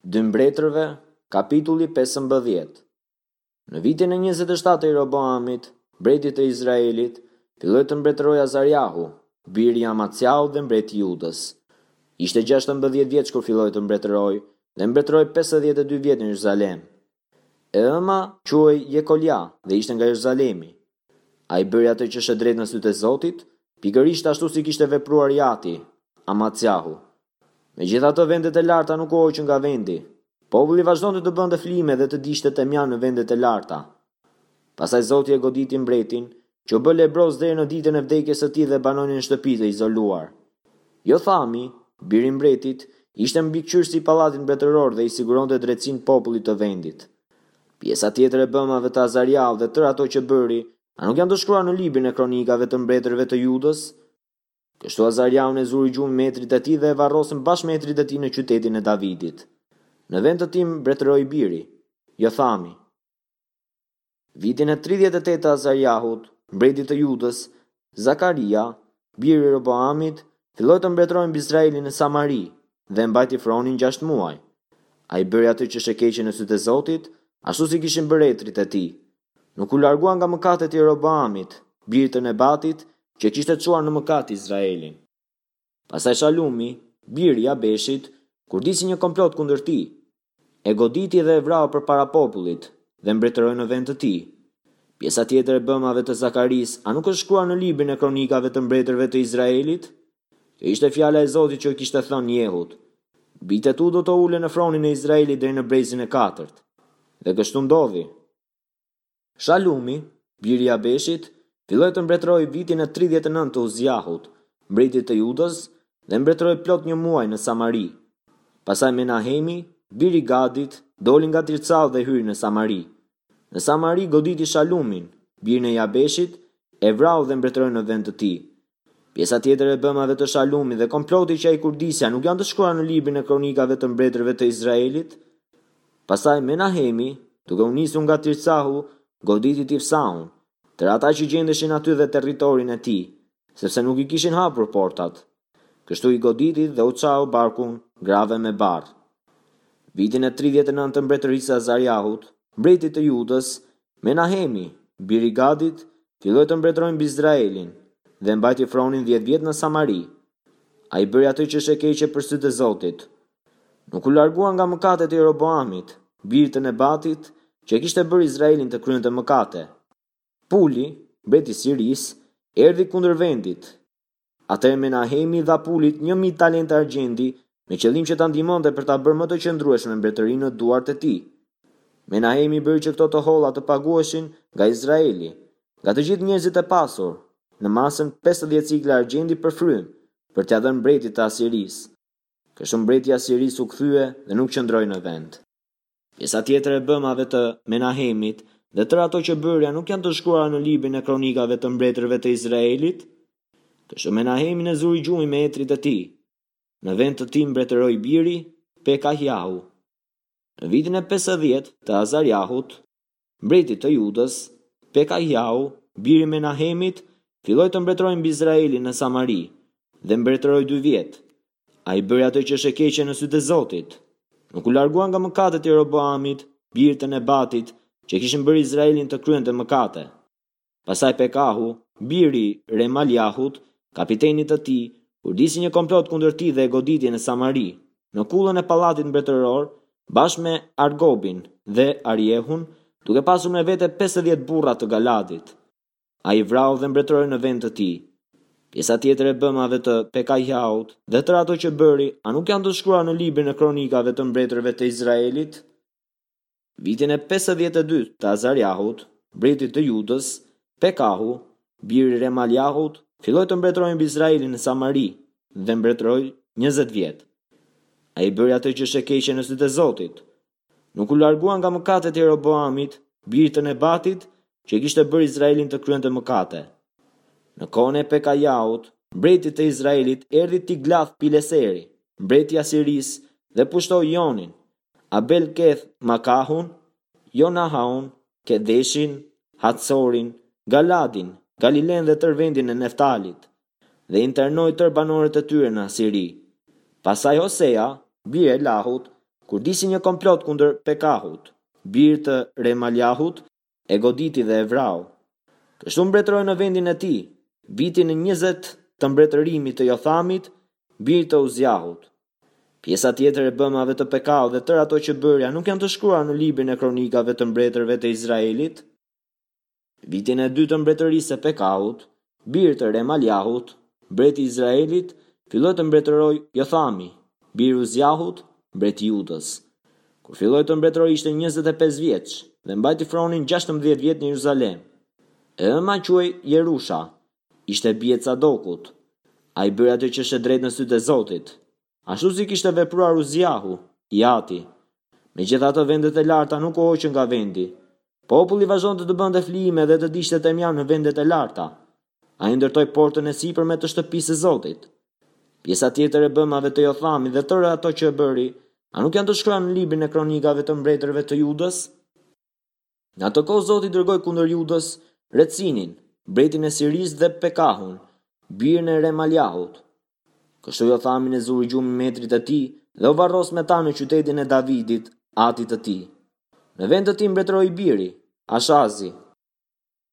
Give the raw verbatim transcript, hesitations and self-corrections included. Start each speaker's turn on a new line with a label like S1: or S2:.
S1: Dy Mbretërve, kapitulli pesëmbëdhjetë. Në vitin e njëzet e shtatë të Jeroboamit, mbretit të Izraelit, filloi të mbretërojë Azariahu, biri i Amaciahut dhe mbreti i Judës. Ishte gjashtëmbëdhjetë vjeç kur filloi të mbretërojë dhe mbretëroi pesëdhjetë e dy vjet në Jeruzalem. E ëma quhej Jekolia dhe ishte nga Jeruzalemi. Ai bëri atë që është e drejtë në sytë e Zotit, pikërisht ashtu si kishte vepruar i ati, Amaciahu. Megjithatë vendet e larta nuk u hoqën nga vendi. Populli vazhdonte të bënte flijime dhe të digjte temjan në vendet e larta. Pastaj Zoti e goditi mbretin, që u bë lebroz deri në ditën e vdekjes së tij dhe banoi në një shtëpi të izoluar. Jothami, biri i mbretit, ishte mbikëqyrësi i pallatit mbretëror dhe i siguronte drejtësinë popullit të vendit. Pjesa tjetër e bëmave të Azariahut dhe tërë ato që bëri, a nuk janë të shkruara në librin e kronikave të mbretërve të Judës? Kështu Azariahun e zuri gjumi me etërit e tij dhe e varrosën bashkë me etërit e tij në qytetin e Davidit. Në vend të tij mbretëroi biri, Jothami. Vitin e tridhjetë e tetë të Azariahut, mbretit të Judës, Zakaria, biri i Jeroboamit, filloi të mbretërojë mbi Izraelin në Samari dhe e mbajti fronin gjashtë muaj. Ai bëri atë që është e keqe në sytë e Zotit, ashtu si kishin bërë etërit e tij. Nuk u largua nga mëkatet e Jeroboamit, birit të Nebatit, që kishte çuar në mëkat Izraelin. Pastaj Shalumi, biri i Jabeshit, kurdisi një komplot kundër tij. E goditi dhe e vrau përpara popullit dhe mbretëroi në vend të tij. Pjesa tjetër e bëmave të Zakarisë, a nuk është shkruar në librin e kronikave të mbretërve të Izraelit? Kjo ishte fjala e Zotit që i kishte thënë Jehut: Bijtë e tu do të ulen në fronin e Izraelit deri në brezin e katërt. Dhe kështu ndodhi. Shalumi, biri i Jabeshit, filloi të mbretërojë vitin e tridhjetë e nëntë të Uziahut, mbretit të Judës, dhe mbretëroi plot një muaj në Samari. Pastaj Menahemi, biri i Gadit, doli nga Tircau dhe hyri në Samari. Në Samari goditi Shalumin, birin e Jabeshit, e vrau dhe mbretëroi në vend të tij. Pjesa tjetër e bëmave të Shalumit dhe komploti që ai kurdisi a nuk janë të shkruara në librin e kronikave të mbretërve të Izraelit? Pastaj Menahemi, duke u nisur nga Tircahu, goditi Tifsahun, tërë ata që gjendeshin aty dhe territorin e tij, sepse nuk i kishin hapur portat. Kështu i goditi dhe u çau barkun grave me barrë. Vitin e tridhjetë e nëntë të mbretërisë së Azariahut, mbretit të Judës, Menahemi, biri i Gadit, filloi të mbretërojë mbi Izraelin dhe mbajti fronin dhjetë vjet në Samari. Ai bëri atë që është e keqe për sytë e Zotit. Nuk u largua nga mëkatet e Jeroboamit, birit të Nebatit, që e kishte bërë Izraelin të kryente mëkate. Puli, mbreti i Sirisë, erdhi kundër vendit. Atëherë Menahemi i dha Pulit një mijë talente argjendi me qëllim që ta ndihmonte për ta bërë më të qëndrueshme mbretërinë në duart e tij. Menahemi bëri që këto të holla të paguheshin nga Izraeli, nga të gjithë njerëzit e pasur, në masën pesëdhjetë sikla argjendi për frymë, për t'ia dhënë mbretit të Asirisë. Kështu mbreti i Asirisë u kthye dhe nuk qëndroi në vend. Pjesa tjetër e bëmave të Menahemit dhe tërë ato që bëri a nuk janë të shkruara në librin e kronikave të mbretërve të Izraelit? Kështu Menahemin e zuri gjumi me etërit e tij. Në vend të tij mbretëroi biri Pekahiahu. Në vitin e pesëdhjetë të Azariahut, mbretit të Judës, Pekahiahu, biri i Menahemit, filloi të mbretërojë mbi Izraelin në Samari dhe mbretëroi dy vjet. Ai bëri atë që është e keqe në sytë e Zotit. Nuk u largua nga mëkatet e Jeroboamit, birit të Nebatit, që kishin bërë Izraelin të kryente mëkate. Pastaj Pekahu, biri i Remaliahut, kapitenit të tij, kurdisi një komplot kundër tij dhe e goditi në Samari, në kullën e pallatit mbretëror, bashkë me Argobin dhe Ariehun, duke pasur me vete pesëdhjetë burra të Galadit. Ai vrau dhe mbretëroi në vend të tij. Pjesa tjetër e bëmave të Pekahiahut dhe tërë ato që bëri, a nuk janë të shkruara në librin e kronikave të mbretërve të Izraelit? Vitin e pesëdhjetë e dy të Azariahut, mbretit të Judës, Pekahu, biri i Remaliahut, filloi të mbretërojë mbi Izraelin në Samari dhe mbretëroi njëzet vjet. Ai bëri atë që është e keqe në sytë e Zotit. Nuk u largua nga mëkatet e Jeroboamit, birit të Nebatit, që e kishte bërë Izraelin të kryente mëkate. Në kohën e Pekajahut, mbretit të Izraelit, erdhi Tiglath Pileseri, mbreti i Asirisë, dhe pushtoi Jonin, Abel Keth Makahun, Jonahaun, Kedeshin, Hatsorin, Galadin, Galilen dhe tërë vendin e Neftalit, dhe internoi tërë banorët e tyre në Asiri. Pastaj Hosea, biri i Elahut, kurdisi një komplot kundër Pekahut, bir të Remaliahut, e goditi dhe e vrau. Kështu mbretëroi në vendin e tij, vitin e njëzet të mbretërimit të Jothamit, bir të Uziahut. Pjesa tjetër e bëmave të Pekahut dhe tërë ato që bëri, a nuk janë të shkruara në librin e kronikave të mbretërve të Izraelit? Vitin e dytë të mbretërisë së Pekahut, bir të Remaliahut, mbreti i Izraelit, filloi të mbretërojë Jothami, bir i Uziahut, mbreti i Judës. Kur filloi të mbretërojë ishte njëzet e pesë vjeç dhe mbajti fronin gjashtëmbëdhjetë vjet në Jeruzalem. E ëma quhej Jerusha, ishte bijë e Cadokut. Ai bëri atë që është e drejtë në sytë e Zotit, ashtu si kishte vepruar Uziahu, i ati. Megjithatë vendet e larta nuk u hoqën nga vendi. Populli vazhdonte të bënte flijime dhe të digjte temjan në vendet e larta. Ai ndërtoi portën e sipërme të shtëpisë së Zotit. Pjesa tjetër e bëmave të Jothamit dhe tërë ato që bëri, a nuk janë të shkruara në librin e kronikave të mbretërve të Judës? Në atë kohë Zoti dërgoi kundër Judës Recinin, mbretin e Sirisë dhe Pekahun, birin e Remaliahut. Kështu Jothamin e zuri gjumi me etërit e tij dhe u varros me ta në qytetin e Davidit, atit të tij. Në vend të tij mbretëroi biri, Ashazi.